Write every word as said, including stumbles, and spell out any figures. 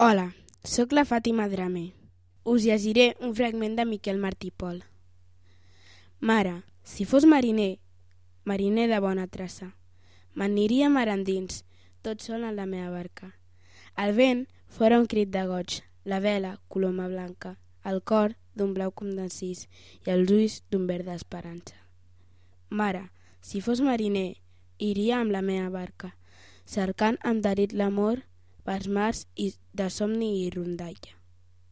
Hola, sóc la Fàtima Drame. Us llegiré un fragment de Miquel Martí i Pol. Mare, si fos mariner, mariner de bona traça, m'aniria mar endins, tot sol en la meva barca. El vent fora un crit de goig, la vela coloma blanca, el cor d'un blau com d'encís i els ulls d'un verd d'esperança. Mare, si fos mariner, iria amb la meva barca, cercant amb delit l'amor pels mars de somni i rondalla.